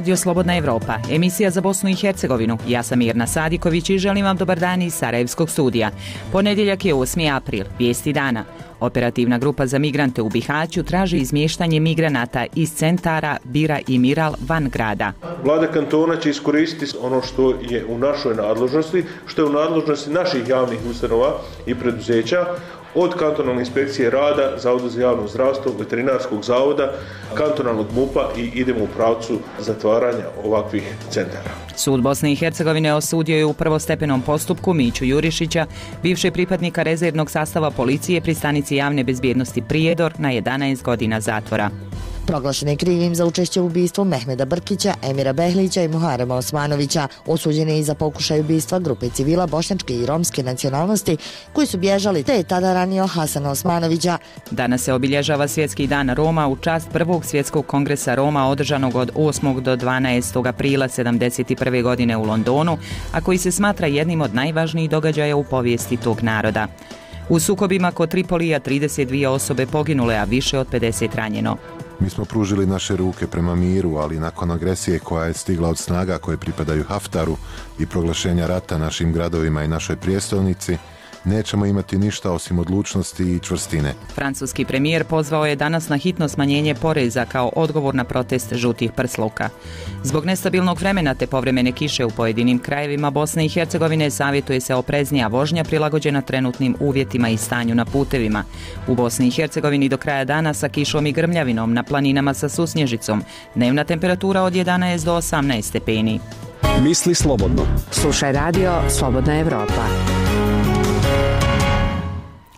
Radio Slobodna Evropa, emisija za Bosnu i Hercegovinu. Ja sam Mirna Sadiković i želim vam dobar dan iz Sarajevskog studija. Ponedjeljak je 8. april, vijesti dana. Operativna grupa za migrante u Bihaću traži izmještanje migranata iz centara Bira i Miral van grada. Vlada kantona će iskoristiti ono što je u našoj nadležnosti, što je u nadležnosti naših javnih ustanova i preduzeća, od kantonalne inspekcije rada, Zavoda za javno zdravstvo, veterinarskog zavoda, kantonalnog MUP-a i idemo u pravcu zatvaranja ovakvih centara. Sud Bosne i Hercegovine osudio je u prvostepenom postupku Miću Jurišića, bivšeg pripadnika rezervnog sastava policije pri stanici javne bezbjednosti Prijedor, na 11 godina zatvora. Proglašen je krivim za učešće u ubistvu Mehmeda Brkića, Emira Behlića i Muharema Osmanovića. Osuđen je i za pokušaj ubistva grupe civila bošnjačke i romske nacionalnosti koji su bježali, te je tada ranio Hasana Osmanovića. Danas se obilježava Svjetski dan Roma u čast prvog svjetskog kongresa Roma održanog od 8. do 12. aprila 1971. godine u Londonu, a koji se smatra jednim od najvažnijih događaja u povijesti tog naroda. U sukobima kod Tripolija 32 osobe poginule, a više od 50 ranjeno. Mi smo pružili naše ruke prema miru, ali nakon agresije koja je stigla od snaga koje pripadaju Haftaru i proglašenja rata našim gradovima i našoj prijestolnici, nećemo imati ništa osim odlučnosti i čvrstine. Francuski premijer pozvao je danas na hitno smanjenje poreza kao odgovor na protest žutih prsluka. Zbog nestabilnog vremena te povremene kiše u pojedinim krajevima Bosne i Hercegovine savjetuje se opreznija vožnja prilagođena trenutnim uvjetima i stanju na putevima. U Bosni i Hercegovini do kraja dana sa kišom i grmljavinom, na planinama sa susnježicom. Dnevna temperatura od 11 do 18 stepeni. Misli slobodno. Slušaj radio Slobodna Evropa.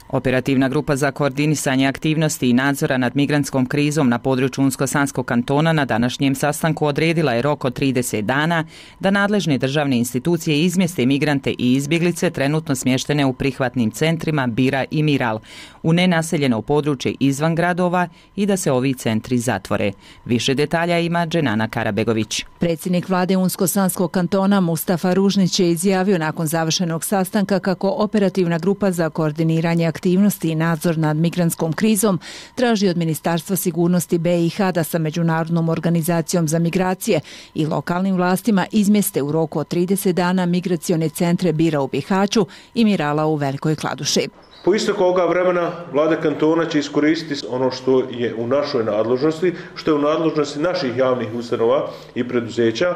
Operativna grupa za koordinisanje aktivnosti i nadzora nad migrantskom krizom na području Unsko-Sanskog kantona na današnjem sastanku odredila je rok od 30 dana da nadležne državne institucije izmjeste migrante i izbjeglice trenutno smještene u prihvatnim centrima Bira i Miral u nenaseljeno područje izvan gradova i da se ovi centri zatvore. Više detalja ima Dženana Karabegović. Predsjednik vlade Unsko-Sanskog kantona Mustafa Ružnić je izjavio nakon završenog sastanka kako operativna grupa za koordiniranje aktivnosti i nadzor nad migrantskom krizom traži od Ministarstva sigurnosti BiH da sa Međunarodnom organizacijom za migracije i lokalnim vlastima izmjeste u roku od 30 dana migracione centre Bira u Bihaću i Mirala u Velikoj Kladuši. Po isteku ovoga vremena Vlada kantona će iskoristiti ono što je u našoj nadležnosti, što je u nadležnosti naših javnih ustanova i preduzeća,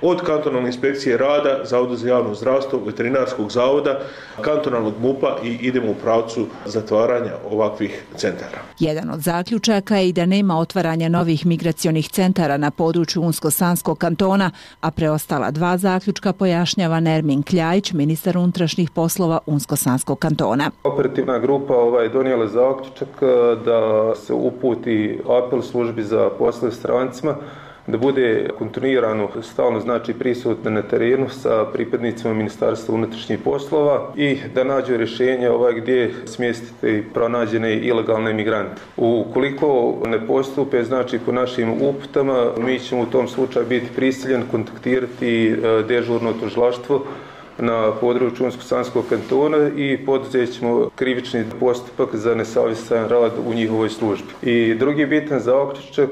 od kantonalne inspekcije rada, Zavoda za javno zdravstvo, veterinarskog zavoda, kantonalnog MUP-a i idemo u pravcu zatvaranja ovakvih centara. Jedan od zaključaka je i da nema otvaranja novih migracionih centara na području Unsko-Sanskog kantona, a preostala dva zaključka pojašnjava Nermin Kljajić, ministar unutrašnjih poslova Unsko-Sanskog kantona. Operativna grupa donijela zaključak da se uputi apel službi za poslove strancima da bude kontinuirano stalno prisutna na terenu sa pripadnicima Ministarstva unutrašnjih poslova i da nađu rješenje gdje smjestiti pronađene ilegalne migrante. Ukoliko ne postupe po našim uputama, mi ćemo u tom slučaju biti prisiljeni kontaktirati dežurno tužilaštvo na području Unsko-Sanskog kantona i poduzet ćemo krivični postupak za nesavjestan rad u njihovoj službi. I drugi bitan zaključak,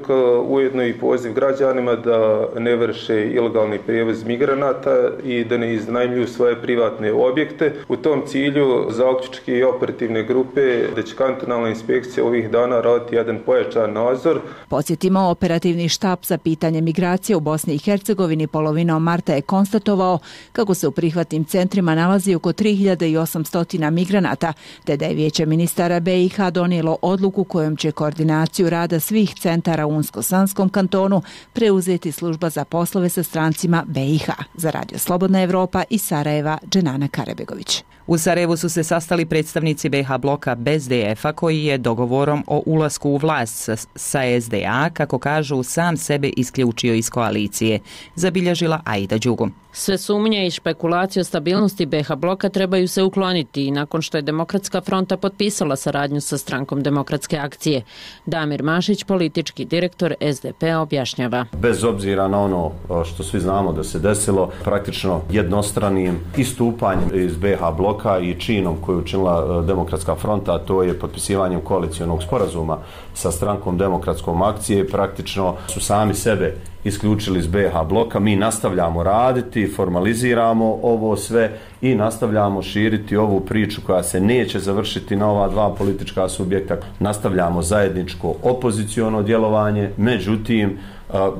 ujedno i poziv građanima da ne vrše ilegalni prijevoz migranata i da ne iznajmljuju svoje privatne objekte. U tom cilju zaključke i operativne grupe da će kantonalna inspekcija ovih dana raditi jedan pojačan nadzor. Podsjetimo, operativni štab za pitanje migracije u Bosni i Hercegovini polovinom marta je konstatovao kako se u prihvatnim centrima nalazi oko 3800 migranata, te da je Vijeće ministara BiH donijelo odluku kojom će koordinaciju rada svih centara u Unsko-Sanskom kantonu preuzeti služba za poslove sa strancima BiH. Za Radio Slobodna Evropa iz Sarajeva, Dženana Karabegović. U Sarajevu su se sastali predstavnici BiH bloka bez DF-a koji je dogovorom o ulasku u vlast sa SDA, kako kažu, sam sebe isključio iz koalicije, zabilježila Aida Đugu. Sve sumnje i špekulacije o stabilnosti BiH bloka trebaju se ukloniti i nakon što je Demokratska fronta potpisala saradnju sa strankom Demokratske akcije. Damir Mašić, politički direktor SDP-a, objašnjava. Bez obzira na ono što svi znamo da se desilo, praktično jednostranim istupanjem iz BiH bloka i činom koju učinila Demokratska fronta, a to je potpisivanjem koalicionog sporazuma sa strankom Demokratskom akcije, praktično su sami sebe isključili iz BiH bloka. Mi nastavljamo raditi, formaliziramo ovo sve i nastavljamo širiti ovu priču koja se neće završiti na ova dva politička subjekta. Nastavljamo zajedničko opoziciono djelovanje, međutim,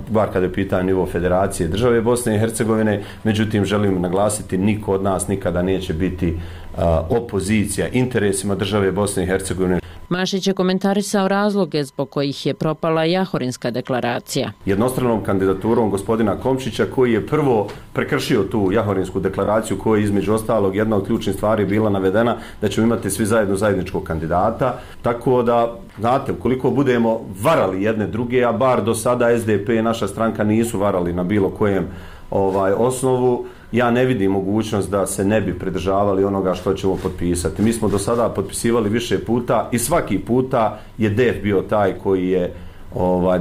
bar kada je pitanje nivo Federacije države Bosne i Hercegovine, međutim želim naglasiti, niko od nas nikada neće biti opozicija interesima države Bosne i Hercegovine. Mašić je komentarisao razloge zbog kojih je propala Jahorinska deklaracija. Jednostranom kandidaturom gospodina Komšića, koji je prvo prekršio tu Jahorinsku deklaraciju, koja je između ostalog jedna od ključnih stvari bila navedena da ćemo imati svi zajedno zajedničkog kandidata. Tako da, znate, ukoliko budemo varali jedne druge, a bar do sada SDP i naša stranka nisu varali na bilo kojem osnovu, ja ne vidim mogućnost da se ne bi pridržavali onoga što ćemo potpisati. Mi smo do sada potpisivali više puta i svaki puta je DEF bio taj koji je,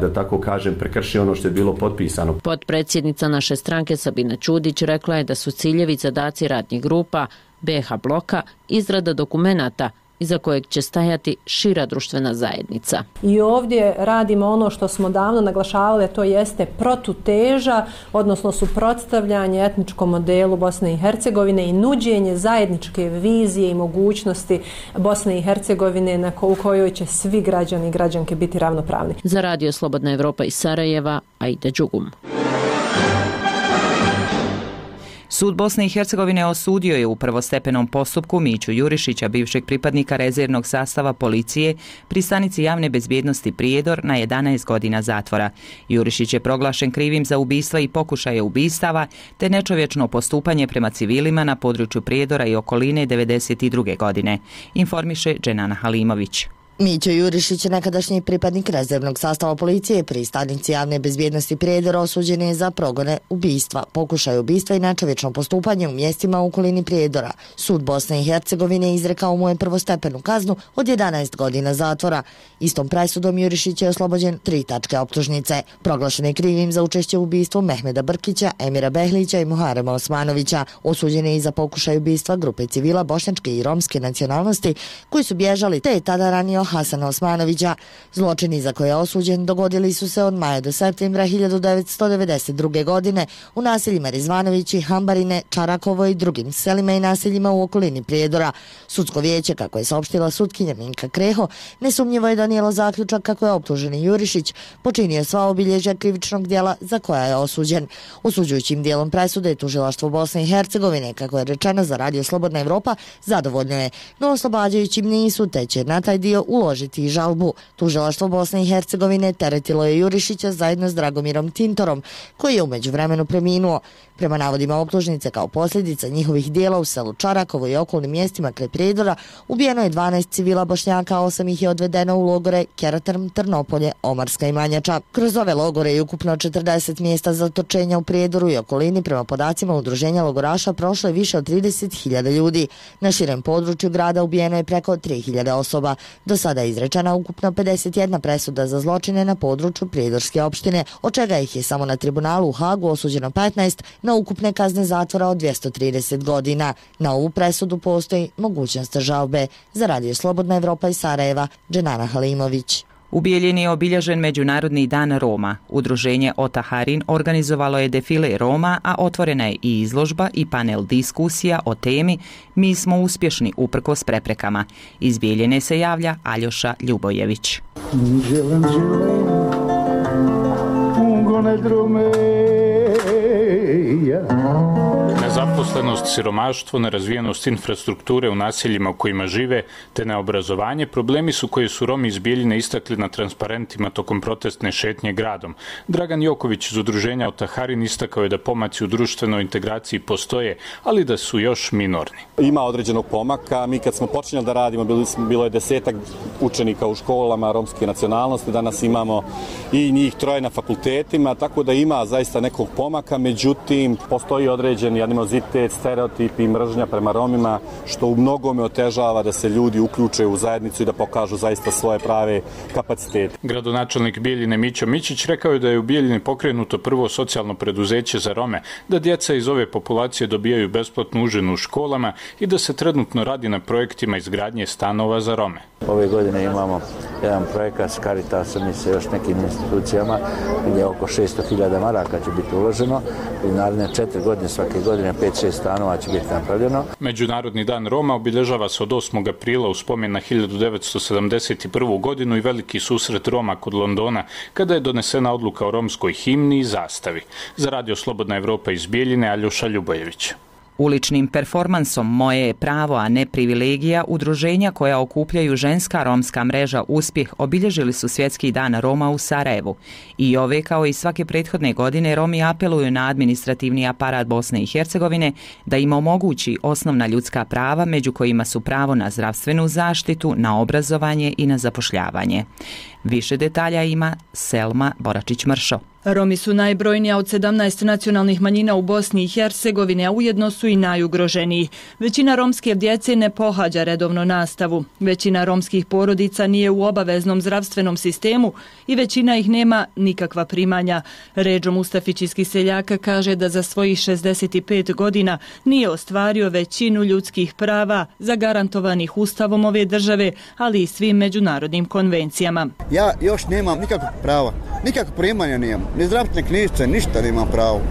da tako kažem, prekršio ono što je bilo potpisano. Potpredsjednica naše stranke Sabina Ćudić rekla je da su ciljevi zadaci radnih grupa BiH bloka izrada dokumenata iza kojeg će stajati šira društvena zajednica. I ovdje radimo ono što smo davno naglašavali, to jeste protuteža, odnosno suprotstavljanje etničkom modelu Bosne i Hercegovine i nuđenje zajedničke vizije i mogućnosti Bosne i Hercegovine u kojoj će svi građani i građanke biti ravnopravni. Za Radio Slobodna Evropa iz Sarajeva, Aida Đugum. Sud Bosne i Hercegovine osudio je u prvostepenom postupku Miću Jurišića, bivšeg pripadnika rezervnog sastava policije pri stanici javne bezbjednosti Prijedor, na 11 godina zatvora. Jurišić je proglašen krivim za ubistva i pokušaje ubistava te nečovječno postupanje prema civilima na području Prijedora i okoline 1992. godine, informiše Dženana Halimović. Mićo Jurišić, nekadašnji pripadnik rezervnog sastava policije pri stanici javne bezbjednosti Prijedor, osuđen je za progone ubistva, pokušaj ubistva i nečovječno postupanje u mjestima u okolini Prijedora. Sud Bosne i Hercegovine izrekao mu je prvostepenu kaznu od 11 godina zatvora. Istom presudom Jurišić je oslobođen 3 tačke optužnice. Proglašen je krivim za učešće u ubistvu Mehmeda Brkića, Emira Behlića i Muharema Osmanovića. Osuđen je i za pokušaj ubistva grupe civila bošnjačke i romske nacionalnosti koji su bježali, te je tada ranio Hasana Osmanovića. Zločini za koje je osuđen dogodili su se od maja do septembra 1992. godine u naseljima Rizvanovići, Hambarine, Čarakovo i drugim selima i naseljima u okolini Prijedora. Sudsko vijeće, kako je saopštila sutkinja Minka Kreho, nesumnjivo je donijelo zaključak kako je optuženi Jurišić počinio sva obilježja krivičnog djela za koja je osuđen. Osuđujućim dijelom presude tužilaštvo Bosne i Hercegovine, kako je rečeno za Radio Slobodna Evropa, zadovoljno je, no oslobađajućim nisu, te će na taj dio uložiti i žalbu. Tužilaštvo Bosne i Hercegovine teretilo je Jurišića zajedno s Dragomirom Tintorom, koji je u međuvremenu preminuo. Prema navodima optužnice, kao posljedica njihovih dijela u selu Čarakovo i okolnim mjestima kraj Prijedora ubijeno je 12 civila Bošnjaka, 8 ih je odvedeno u logore Keratrm, Trnopolje, Omarska i Manjača. Kroz ove logore je ukupno 40 mjesta zatočenja u Prijedoru i okolini, prema podacima udruženja logoraša, prošlo je više od 30.000 ljudi. Na širem području grada ubijeno je preko 3.000 osoba. Do sada je izrečena ukupno 51 presuda za zločine na području Prijedorske opštine, od čega ih je samo na tribunalu u Hagu osuđeno 15 na ukupne kazne zatvora od 230 godina. Na ovu presudu postoji mogućnost žalbe. Za Radio Slobodna Evropa iz Sarajeva, Dženana Halimović. U Bijeljini je obilježen Međunarodni dan Roma. Udruženje Otaharin organizovalo je defile Roma, a otvorena je i izložba i panel diskusija o temi Mi smo uspješni uprkos preprekama. Iz Bijeljine se javlja Aljoša Ljubojević. Nezaposlenost, siromaštvo, nerazvijenost infrastrukture u naseljima u kojima žive, te neobrazovanje problemi su koje su Romi iz Bijeljine istakli na transparentima tokom protestne šetnje gradom. Dragan Joković iz udruženja Otaharin istakao je da pomaci u društvenoj integraciji postoje, ali da su još minorni. Ima određenog pomaka. Mi kad smo počinjali da radimo, bilo je 10 učenika u školama romske nacionalnosti, danas imamo i njih 3 na fakultetima, tako da ima zaista nekog pomaka, međutim postoji određeni nervozitet, stereotipi i mržnja prema Romima, što u mnogome otežava da se ljudi uključe u zajednicu i da pokažu zaista svoje prave kapacitete. Gradonačelnik Bijeljine Mićo Mićić rekao je da je u Bijeljini pokrenuto prvo socijalno preduzeće za Rome, da djeca iz ove populacije dobijaju besplatnu užinu u školama i da se trenutno radi na projektima izgradnje stanova za Rome. Ove godine imamo jedan projekat s Caritasom i sa još nekim institucijama gdje oko 600.000 maraka će biti uloženo i naredne 4 godine, svake godine 5-6 stanova će biti napravljeno. Međunarodni dan Roma obilježava se od 8. aprila u spomen na 1971. godinu i veliki susret Roma kod Londona kada je donesena odluka o romskoj himni i zastavi. Za Radio Slobodna Evropa iz Bijeljine, Aljoša Ljubojević. Uličnim performansom Moje je pravo, a ne privilegija, udruženja koja okupljaju ženska romska mreža Uspjeh obilježili su Svjetski dan Roma u Sarajevu. I ove, kao i svake prethodne godine, Romi apeluju na administrativni aparat Bosne i Hercegovine da im omogući osnovna ljudska prava, među kojima su pravo na zdravstvenu zaštitu, na obrazovanje i na zapošljavanje. Više detalja ima Selma Boračić-Mršo. Romi su najbrojnija od 17 nacionalnih manjina u Bosni i Hercegovini, a ujedno su i najugroženiji. Većina romske djece ne pohađa redovno nastavu. Većina romskih porodica nije u obaveznom zdravstvenom sistemu i većina ih nema nikakva primanja. Redžo Mustafić iz Kiseljaka kaže da za svojih 65 godina nije ostvario većinu ljudskih prava zagarantovanih ustavom ove države, ali i svim međunarodnim konvencijama. Ja još nemam nikakvog prava, nikakvog primanja nemam, ni zdravstvene knjižice, ništa nemam pravo.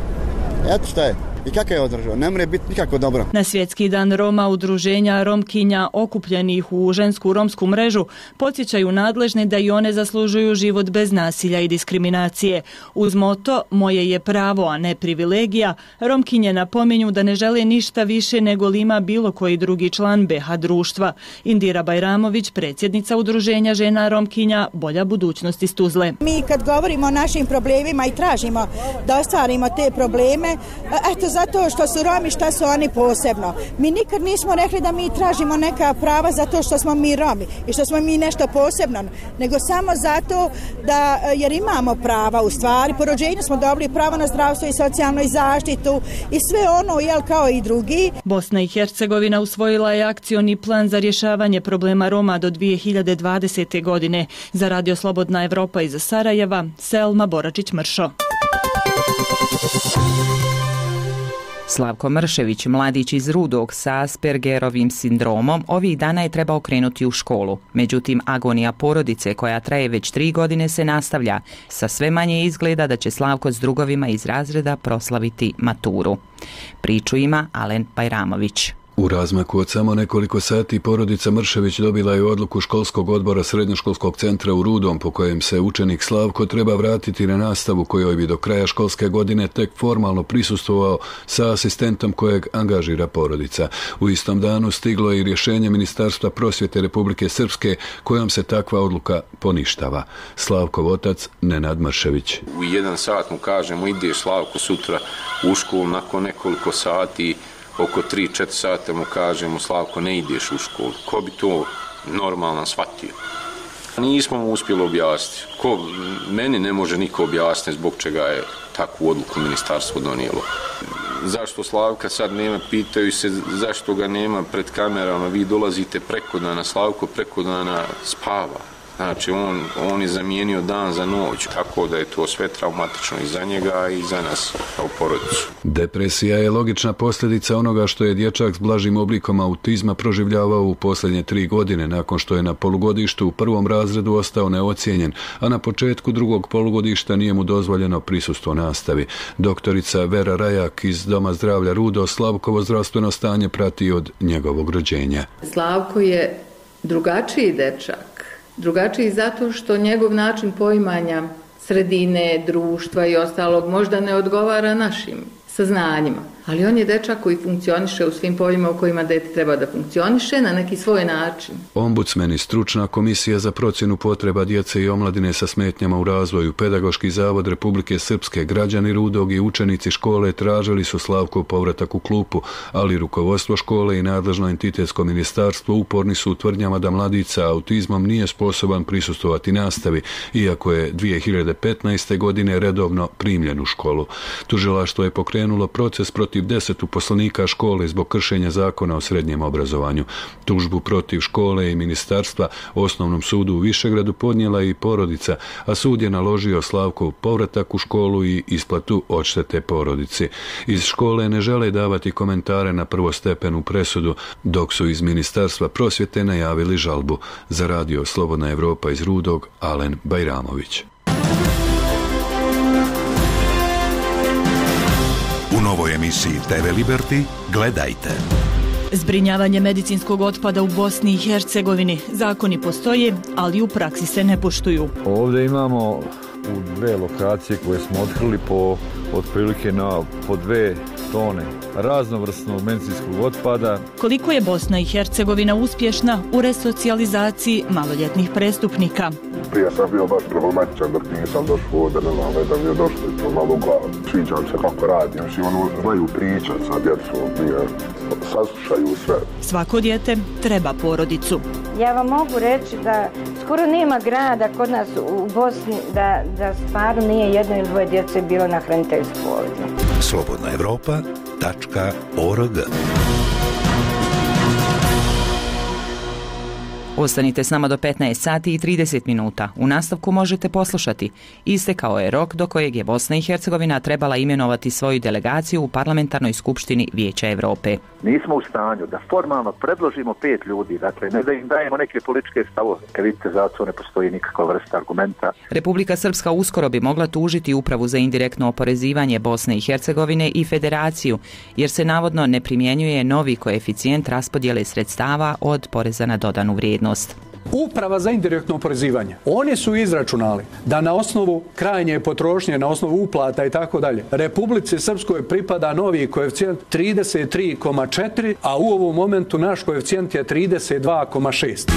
Eto šta je. I kako je održao? Ne može biti nikako dobro. Na Svjetski dan Roma udruženja Romkinja okupljenih u žensku romsku mrežu podsjećaju nadležne da i one zaslužuju život bez nasilja i diskriminacije. Uz moto Moje je pravo, a ne privilegija, Romkinje napominju da ne žele ništa više nego li ima bilo koji drugi član BH društva. Indira Bajramović, predsjednica udruženja žena Romkinja Bolja budućnost iz Tuzle. Mi kad govorimo o našim problemima i tražimo da ostvarimo te probleme, zato što su Romi, šta su oni posebno. Mi nikad nismo rekli da mi tražimo neka prava zato što smo mi Romi i što smo mi nešto posebno, nego samo zato da, jer imamo prava u stvari. Po rođenju smo dobili pravo na zdravstvo i socijalnu zaštitu i sve ono, jel, kao i drugi. Bosna i Hercegovina usvojila je akcioni plan za rješavanje problema Roma do 2020. godine. Za Radio Slobodna Evropa iz Sarajeva, Selma Boračić-Mršo. Slavko Mršević, mladić iz Rudog sa Aspergerovim sindromom, ovih dana je trebao krenuti u školu. Međutim, agonija porodice koja traje već 3 godine se nastavlja. Sa sve manje izgleda da će Slavko s drugovima iz razreda proslaviti maturu. Priču ima Alen Bajramović. U razmaku od samo nekoliko sati porodica Mršević dobila je odluku školskog odbora srednjoškolskog centra u Rudom po kojem se učenik Slavko treba vratiti na nastavu kojoj bi do kraja školske godine tek formalno prisustvovao sa asistentom kojeg angažira porodica. U istom danu stiglo je i rješenje Ministarstva prosvjete Republike Srpske kojom se takva odluka poništava. Slavkov otac Nenad Mršević. U 1 sat mu kažemo ideš Slavko sutra u školu, nakon nekoliko sati oko 3-4 sata mu kažemo Slavko ne ideš u školu. Ko bi to normalno shvatio? Nismo mu uspjeli objasniti. Meni ne može niko objasniti zbog čega je takvu odluku ministarstvo donijelo. Zašto Slavka sad nema, pitaju se zašto ga nema pred kamerama, vi dolazite preko dana, Slavko preko dana spava. Znači, on je zamijenio dan za noć, tako da je to sve traumatično i za njega i za nas kao porodicu. Depresija je logična posljedica onoga što je dječak s blažim oblikom autizma proživljavao u posljednje 3 godine nakon što je na polugodištu u 1. razredu ostao neocijenjen, a na početku 2. polugodišta nije mu dozvoljeno prisustvo nastavi. Doktorica Vera Rajak iz Doma zdravlja Rudo Slavkovo zdravstveno stanje prati od njegovog rođenja. Slavko je drugačiji dečak. Drugačiji zato što njegov način poimanja sredine, društva i ostalog možda ne odgovara našim saznanjima. Ali on je dečak koji funkcioniše u svim poljima u kojima dete treba da funkcioniše na neki svoj način. Ombudsman i stručna komisija za procjenu potreba djece i omladine sa smetnjama u razvoju, Pedagoški zavod Republike Srpske, građani Rudog i učenici škole tražili su Slavkov povratak u klupu, ali rukovodstvo škole i nadležno entitetsko ministarstvo uporni su u tvrdnjama da mladić sa autizmom nije sposoban prisustvovati nastavi, iako je 2015. godine redovno primljen u školu. Tužilaštvo je pokrenulo proces protiv protiv 10 uposlenika škole zbog kršenja zakona o srednjem obrazovanju. Tužbu protiv škole i ministarstva Osnovnom sudu u Višegradu podnijela i porodica, a sud je naložio Slavkov povratak u školu i isplatu odštete porodici. Iz škole ne žele davati komentare na prvostepenu presudu, dok su iz Ministarstva prosvjete najavili žalbu. Za radio Slobodna Evropa iz Rudog, Alen Bajramović. U novoj emisiji TV Liberty gledajte. Zbrinjavanje medicinskog otpada u Bosni i Hercegovini. Zakoni postoje, ali u praksi se ne poštuju. Ovdje imamo u 2 lokacije koje smo otkrili po otprilike po 2 tone raznovrsnog medicinskog otpada. Koliko je Bosna i Hercegovina uspješna u resocijalizaciji maloljetnih prestupnika? Prije sam bio baš problematičan dok nisam došao ovdje, ne znam, da mi je došlo i to malo u glavu. Sviđam se kako radim, znači znaju pričat sa djecom, saslušaju sve. Svako dijete treba porodicu. Ja vam mogu reći da skoro nema grada kod nas u Bosni da stvarno nije 1 ili 2 djece bilo na hraniteljstvu ovdje. slobodnaevropa.org. Ostanite s nama do 15 sati i 30 minuta. U nastavku možete poslušati. Istekao je rok do kojeg je Bosna i Hercegovina trebala imenovati svoju delegaciju u Parlamentarnoj skupštini Vijeća Europe. Nismo u stanju da formalno predložimo 5 ljudi, dakle ne da im dajemo neke političke stavove. Kad vidite, za to ne postoji nikakva vrsta argumenta. Republika Srpska uskoro bi mogla tužiti Upravu za indirektno oporezivanje Bosne i Hercegovine i Federaciju, jer se navodno ne primjenjuje novi koeficijent raspodjele sredstava od poreza na dodanu vrijednost. Uprava za indirektno oporezivanje. Oni su izračunali da na osnovu krajnje potrošnje, na osnovu uplata i tako dalje, Republici Srpskoj pripada novi koeficijent 33,4, a u ovom momentu naš koeficijent je 32,6.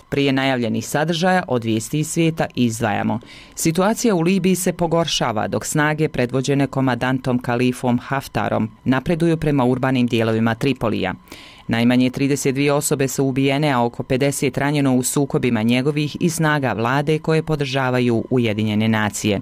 Prije najavljenih sadržaja od vijesti iz svijeta izdvajamo. Situacija u Libiji se pogoršava dok snage predvođene komandantom Kalifom Haftarom napreduju prema urbanim dijelovima Tripolija. Najmanje 32 osobe su ubijene, a oko 50 ranjeno u sukobima njegovih i snaga vlade koje podržavaju Ujedinjene nacije.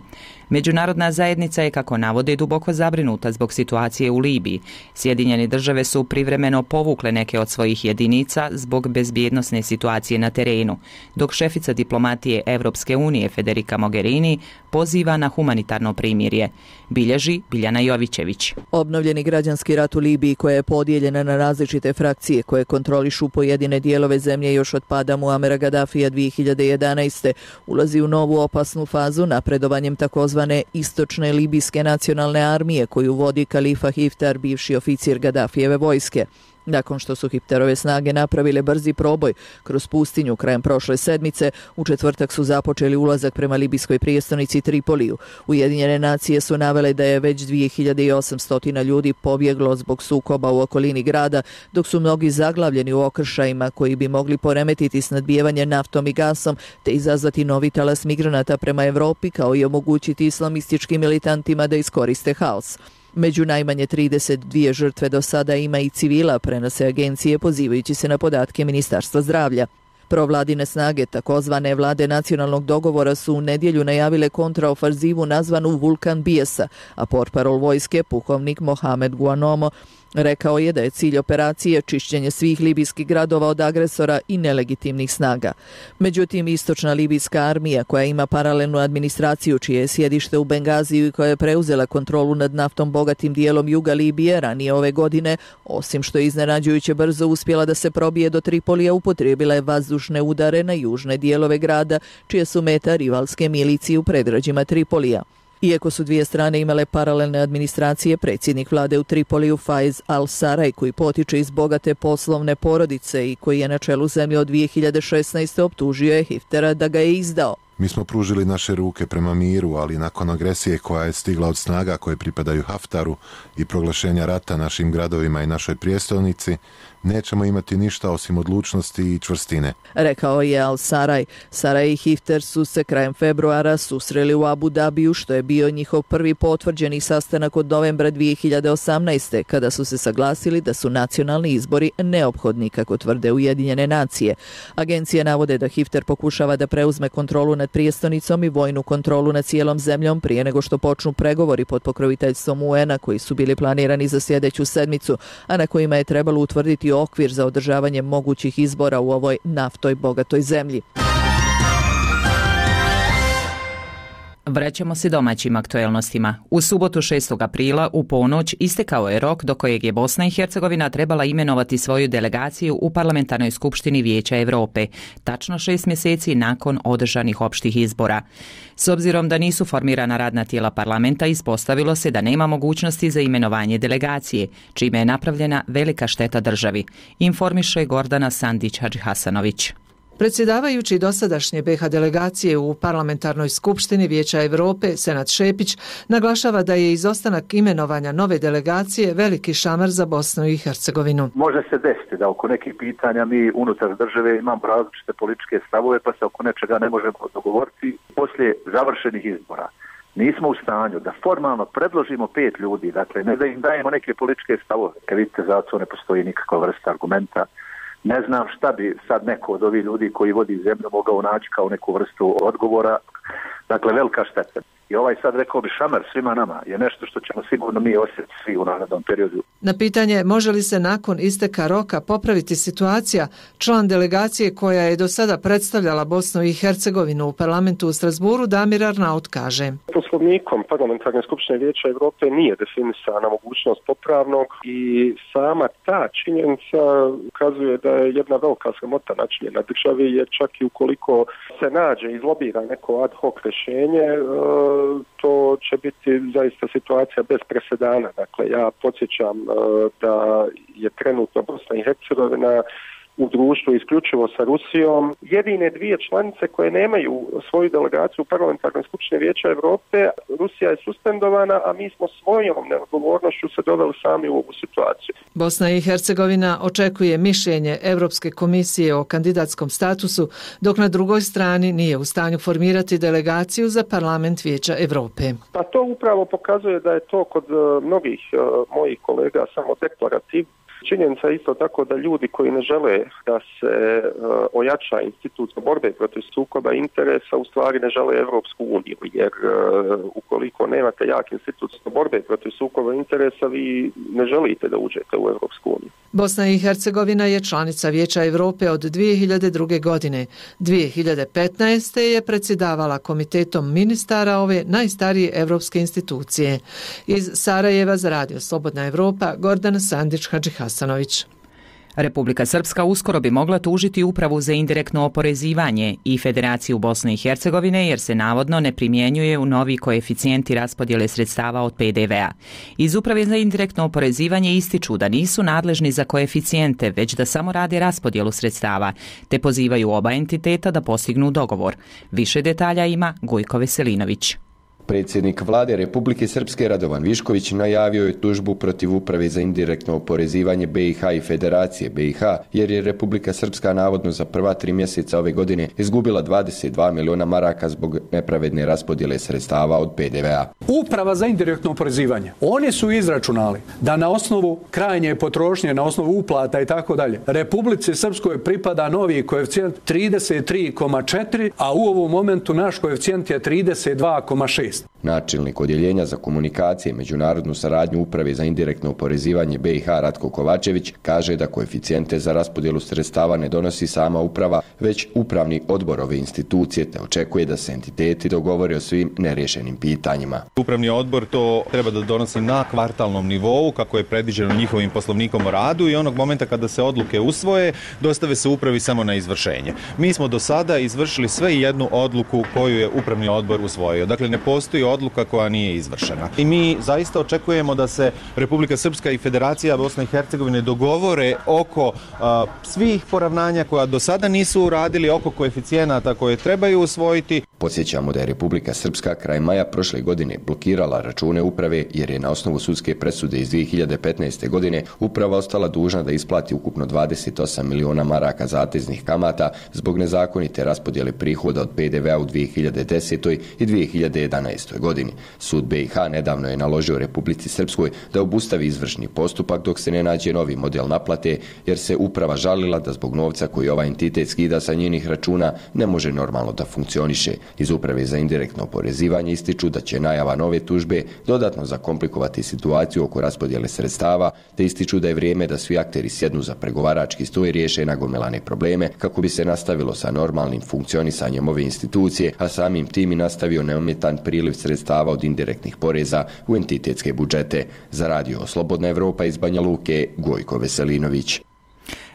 Međunarodna zajednica je, kako navode, duboko zabrinuta zbog situacije u Libiji. Sjedinjene države su privremeno povukle neke od svojih jedinica zbog bezbjednosne situacije na terenu, dok šefica diplomatije Evropske unije Federica Mogherini poziva na humanitarno primirje. Bilježi Biljana Jovićević. Obnovljeni građanski rat u Libiji, koja je podijeljena na različite frakcije koje kontrolišu pojedine dijelove zemlje još od pada Muamera Gaddafija 2011. ulazi u novu opasnu fazu napredovanjem takozvane istočne libijske nacionalne armije koju vodi Kalifa Hiftar, bivši oficir Gaddafijeve vojske. Nakon što su Hifterove snage napravile brzi proboj kroz pustinju krajem prošle sedmice, u četvrtak su započeli ulazak prema libijskoj prijestolnici Tripoliju. Ujedinjene nacije su navele da je već 2800 ljudi pobjeglo zbog sukoba u okolini grada, dok su mnogi zaglavljeni u okršajima koji bi mogli poremetiti snadbijevanje naftom i gasom te izazvati novi talas migranata prema Evropi, kao i omogućiti islamističkim militantima da iskoriste haos. Među najmanje 32 žrtve do sada ima i civila, prenose agencije pozivajući se na podatke Ministarstva zdravlja. Provladine snage, takozvane vlade nacionalnog dogovora, su u nedjelju najavile kontraofanzivu nazvanu Vulkan bijesa, a portparol vojske, pukovnik Mohamed Guanomo, rekao je da je cilj operacije čišćenje svih libijskih gradova od agresora i nelegitimnih snaga. Međutim, istočna libijska armija, koja ima paralelnu administraciju čije je sjedište u Bengaziju i koja je preuzela kontrolu nad naftom bogatim dijelom juga Libije ranije ove godine, osim što je iznenađujuće brzo uspjela da se probije do Tripolija, upotrijebila je vazdušne udare na južne dijelove grada, čije su meta rivalske milicije u predgrađima Tripolija. Iako su dvije strane imale paralelne administracije, predsjednik vlade u Tripoliju Faiz al-Saraj, koji potiče iz bogate poslovne porodice i koji je na čelu zemlje od 2016. optužio je Hiftera da ga je izdao. Mi smo pružili naše ruke prema miru, ali nakon agresije koja je stigla od snaga koje pripadaju Haftaru i proglašenja rata našim gradovima i našoj prijestolnici, nećemo imati ništa osim odlučnosti i čvrstine. Rekao je al-Saraj. Saraj i Hifter su se krajem februara susreli u Abu Dabiju, što je bio njihov prvi potvrđeni sastanak od novembra 2018. kada su se saglasili da su nacionalni izbori neophodni, kako tvrde Ujedinjene nacije. Agencije navode da Hifter pokušava da preuzme kontrolu nad nad prijestonicom i vojnu kontrolu nad cijelom zemljom prije nego što počnu pregovori pod pokroviteljstvom UN-a koji su bili planirani za sljedeću sedmicu, a na kojima je trebalo utvrditi okvir za održavanje mogućih izbora u ovoj naftoj bogatoj zemlji. Vraćamo se domaćim aktuelnostima. U subotu 6. aprila u ponoć istekao je rok do kojeg je Bosna i Hercegovina trebala imenovati svoju delegaciju u Parlamentarnoj skupštini Vijeća Europe, tačno 6 mjeseci nakon održanih opštih izbora. S obzirom da nisu formirana radna tijela parlamenta, ispostavilo se da nema mogućnosti za imenovanje delegacije, čime je napravljena velika šteta državi, informiše Gordana Sandić-Hadžihasanović. Predsjedavajući dosadašnje BiH delegacije u Parlamentarnoj skupštini Vijeća Europe, Senad Šepić, naglašava da je izostanak imenovanja nove delegacije veliki šamar za Bosnu i Hercegovinu. Može se desiti da oko nekih pitanja mi unutar države imamo različite političke stavove, pa se oko nečega ne možemo dogovoriti poslije završenih izbora. Nismo u stanju da formalno predložimo 5 ljudi, dakle ne da im dajemo neke političke stavove. Kad vidite, za to ne postoji nikakva vrsta argumenta. Ne znam šta bi sad neko od ovih ljudi koji vodi zemlju mogao naći kao neku vrstu odgovora. Dakle, velika šteta. I ovaj sad, rekao bi, šamar svima nama je nešto što ćemo sigurno mi osjetiti svi u narednom periodu. Na pitanje može li se nakon isteka roka popraviti situacija, član delegacije koja je do sada predstavljala Bosnu i Hercegovinu u parlamentu u Strasburu, Damir Arnaut kaže. Poslovnikom Parlamentarne skupštine Vijeća Europe nije definisana mogućnost popravnog i sama ta činjenica ukazuje da je jedna velika sramota načinjena državi, jer čak i ukoliko se nađe i izlobira neko ad hoc rješenje, to će biti zaista situacija bez presedana. Dakle, ja podsjećam da je trenutno Bosna i Hercegovina u društvu isključivo sa Rusijom jedine dvije članice koje nemaju svoju delegaciju u Parlamentarnoj skupštini Vijeća Europe. Rusija je suspendovana, a mi smo svojom neodgovornošću se doveli sami u ovu situaciju. Bosna i Hercegovina očekuje mišljenje Europske komisije o kandidatskom statusu, dok na drugoj strani nije u stanju formirati delegaciju za Parlament Vijeća Europe. Pa to upravo pokazuje da je to kod mnogih mojih kolega samo deklarativno. Činjenica je isto tako da ljudi koji ne žele da se ojača institut borbe protiv sukoba interesa u stvari ne žele Evropsku uniju, jer ukoliko nemate jak institut borbe protiv sukoba interesa, vi ne želite da uđete u Evropsku uniju. Bosna i Hercegovina je članica Vijeća Europe od 2002. godine. 2015. je predsjedavala komitetom ministara ove najstarije evropske institucije. Iz Sarajeva za Radio Slobodna Evropa, Gordana Sandić-Hadžihasanović. Republika Srpska uskoro bi mogla tužiti Upravu za indirektno oporezivanje i Federaciju Bosne i Hercegovine jer se navodno ne primjenjuje u novi koeficijenti raspodjele sredstava od PDV-a. Iz Uprave za indirektno oporezivanje ističu da nisu nadležni za koeficijente, već da samo rade raspodjelu sredstava, te pozivaju oba entiteta da postignu dogovor. Više detalja ima Gojko Veselinović. Predsjednik vlade Republike Srpske Radovan Višković najavio je tužbu protiv Uprave za indirektno oporezivanje BiH i Federacije BiH, jer je Republika Srpska navodno za prva 3 mjeseca ove godine izgubila 22 miliona maraka zbog nepravedne raspodjele sredstava od PDV-a. Uprava za indirektno oporezivanje, oni su izračunali da na osnovu krajnje potrošnje, na osnovu uplata i tako dalje, Republici Srpskoj pripada novi koeficijent 33,4, a u ovom momentu naš koeficijent je 32,6. Načelnik odjeljenja za komunikacije i međunarodnu saradnju Uprave za indirektno oporezivanje BiH Ratko Kovačević kaže da koeficijente za raspodjelu sredstava ne donosi sama uprava, već upravni odbor ove institucije, te očekuje da se entiteti dogovore o svim nerješenim pitanjima. Upravni odbor to treba da donosi na kvartalnom nivou, kako je predviđeno njihovim poslovnikom o radu, i onog momenta kada se odluke usvoje, dostave se upravi samo na izvršenje. Mi smo do sada izvršili sve i jednu odluku koju je upravni odbor usvojio. Dakle, ne postoji odluka koja nije izvršena. I mi zaista očekujemo da se Republika Srpska i Federacija Bosne i Hercegovine dogovore oko svih poravnanja koja do sada nisu uradili, oko koeficijenata koje trebaju usvojiti. Podsjećamo da je Republika Srpska kraj maja prošle godine blokirala račune uprave jer je na osnovu sudske presude iz 2015. godine uprava ostala dužna da isplati ukupno 28 miliona maraka zateznih kamata zbog nezakonite raspodjele prihoda od PDV-a u 2010. i 2011. godini. Sud BiH nedavno je naložio Republici Srpskoj da obustavi izvršni postupak dok se ne nađe novi model naplate, jer se uprava žalila da zbog novca koji ovaj entitet skida sa njenih računa ne može normalno da funkcioniše. Iz Uprave za indirektno oporezivanje ističu da će najava nove tužbe dodatno zakomplikovati situaciju oko raspodjele sredstava, te ističu da je vrijeme da svi akteri sjednu za pregovarački stol i riješe nagomilane probleme kako bi se nastavilo sa normalnim funkcionisanjem ove institucije, a samim tim i nastavio neometan priliv sredstava od indirektnih poreza u entitetske budžete. Za radio Slobodna Evropa iz Banja Luke, Gojko Veselinović.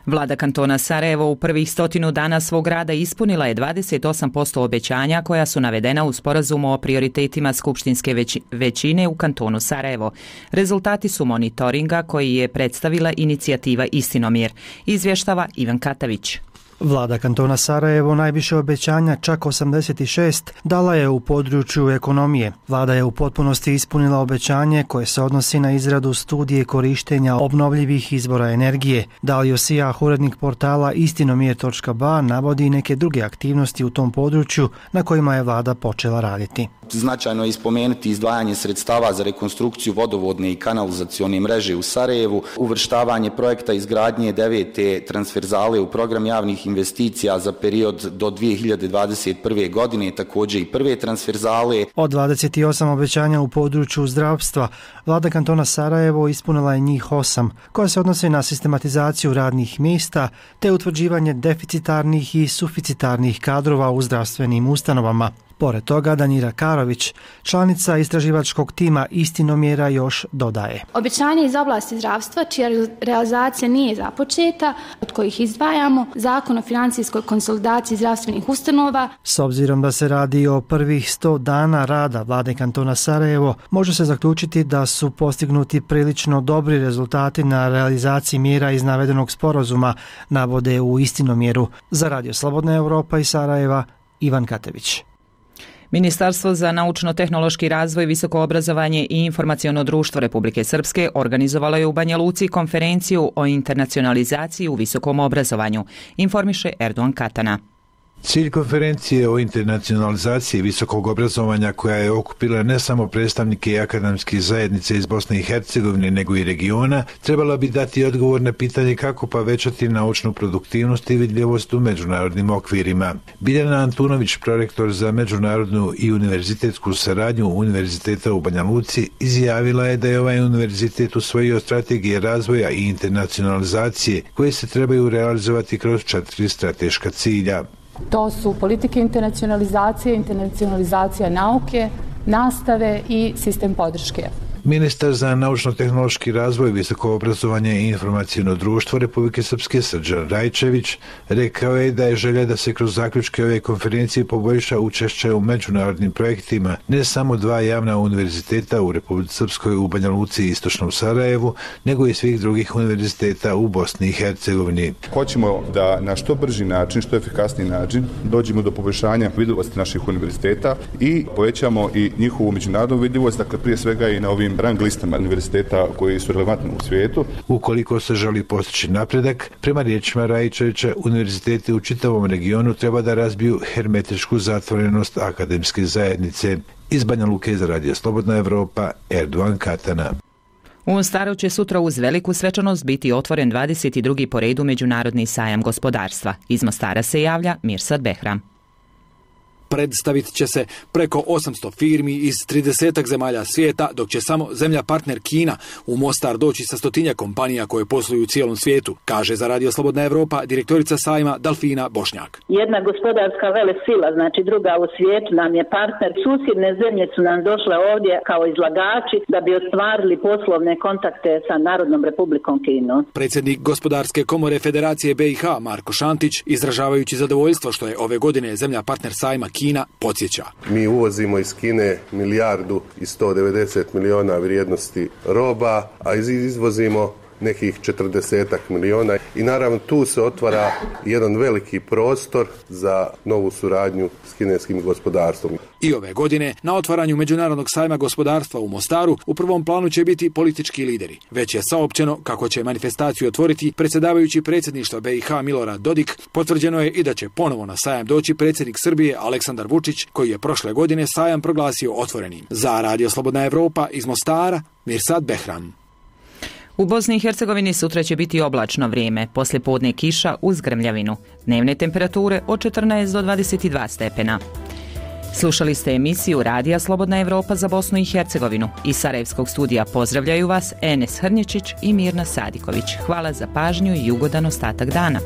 Vlada kantona Sarajevo u prvih 100 dana svog rada ispunila je 28% obećanja koja su navedena u sporazumu o prioritetima skupštinske većine u kantonu Sarajevo. Rezultati su monitoringa koji je predstavila inicijativa Istinomir. Izvještava Ivan Katavić. Vlada kantona Sarajevo najviše obećanja, čak 86, dala je u području ekonomije. Vlada je u potpunosti ispunila obećanje koje se odnosi na izradu studije korištenja obnovljivih izvora energije. Dalio Sijah, urednik portala istinomir.ba, navodi neke druge aktivnosti u tom području na kojima je vlada počela raditi. Značajno je ispomenuti izdvajanje sredstava za rekonstrukciju vodovodne i kanalizacione mreže u Sarajevu, uvrštavanje projekta izgradnje 9. transverzale u program javnih investicija za period do 2021. godine, također i prve transverzale. Od 28 obećanja u području zdravstva, vlada kantona Sarajevo ispunila je njih 8, koja se odnose na sistematizaciju radnih mjesta te utvrđivanje deficitarnih i suficitarnih kadrova u zdravstvenim ustanovama. Pored toga, Danira Karović, članica istraživačkog tima Istinomjera, još dodaje. Obećanje iz oblasti zdravstva, čija realizacija nije započeta, od kojih izdvajamo Zakon o financijskoj konsolidaciji zdravstvenih ustanova. S obzirom da se radi o prvih 100 dana rada vlade kantona Sarajevo, može se zaključiti da su postignuti prilično dobri rezultati na realizaciji mjera iz navedenog sporazuma, navode u Istinomjeru. Za Radio Slobodna Evropa iz Sarajeva, Ivan Katević. Ministarstvo za naučno-tehnološki razvoj, visoko obrazovanje i informaciono društvo Republike Srpske organizovalo je u Banja Luci konferenciju o internacionalizaciji u visokom obrazovanju, informiše Erdogan Katana. Cilj konferencije o internacionalizaciji visokog obrazovanja, koja je okupila ne samo predstavnike akademskih zajednice iz Bosne i Hercegovine, nego i regiona, trebala bi dati odgovor na pitanje kako povećati naučnu produktivnost i vidljivost u međunarodnim okvirima. Biljana Antunović, prorektor za međunarodnu i univerzitetsku saradnju Univerziteta u Banja Luci, izjavila je da je ovaj univerzitet usvojio strategije razvoja i internacionalizacije koje se trebaju realizovati kroz 4 strateška cilja. To su politike internacionalizacija nauke, nastave i sistem podrške. Ministar za naučno-tehnološki razvoj, visoko obrazovanje i informaciono društvo Republike Srpske Srđan Rajčević rekao je da je želja da se kroz zaključke ove konferencije poboljša učešće u međunarodnim projektima ne samo 2 javna univerziteta u Republici Srpskoj u Banja Luci i Istočnom Sarajevu, nego i svih drugih univerziteta u Bosni i Hercegovini. Hoćemo da na što brži način, što efikasniji način dođemo do poboljšanja vidljivosti naših univerziteta i povećamo i njihovu međunarodnu vidljivost, dakle prije svega i na ovim rang listama univerziteta koji su relevantni u svijetu. Ukoliko se želi postići napredak, prema riječima Rajčevića, univerziteti u čitavom regionu treba da razbiju hermetičku zatvorenost akademske zajednice. Iz Banja Luke za Radio Slobodna Evropa, Erdogan Katana. U Mostaru će sutra uz veliku svečanost biti otvoren 22. po redu Međunarodni sajam gospodarstva. Iz Mostara se javlja Mirsad Behram. Predstavit će se preko 800 firmi iz 30 zemalja svijeta, dok će samo zemlja partner Kina u Mostar doći sa 100 kompanija koje posluju u cijelom svijetu, kaže za Radio Slobodna Evropa direktorica sajma Dalfina Bošnjak. Jedna gospodarska velesila, znači druga u svijetu nam je partner. Susjedne zemlje su nam došle ovdje kao izlagači da bi ostvarili poslovne kontakte sa Narodnom Republikom Kinom. Predsjednik Gospodarske komore Federacije BiH Marko Šantić, izražavajući zadovoljstvo što je ove godine zemlja partner sajma Kina, podsjeća. Mi uvozimo iz Kine 1.190 milijuna vrijednosti roba, a izvozimo nekih 40 milijuna i naravno tu se otvara jedan veliki prostor za novu suradnju s kineskim gospodarstvom. I ove godine na otvaranju Međunarodnog sajma gospodarstva u Mostaru u prvom planu će biti politički lideri. Već je saopćeno kako će manifestaciju otvoriti predsjedavajući predsjedništva BiH Milorad Dodik. Potvrđeno je i da će ponovo na sajam doći predsjednik Srbije Aleksandar Vučić, koji je prošle godine sajam proglasio otvorenim. Za Radio Slobodna Evropa iz Mostara, Mirsad Behram. U Bosni i Hercegovini sutra će biti oblačno vrijeme, poslijepodne kiša uz grmljavinu. Dnevne temperature od 14 do 22 stepena. Slušali ste emisiju Radija Slobodna Evropa za Bosnu i Hercegovinu. Iz Sarajevskog studija pozdravljaju vas Enes Hrnječić i Mirna Sadiković. Hvala za pažnju i ugodan ostatak dana.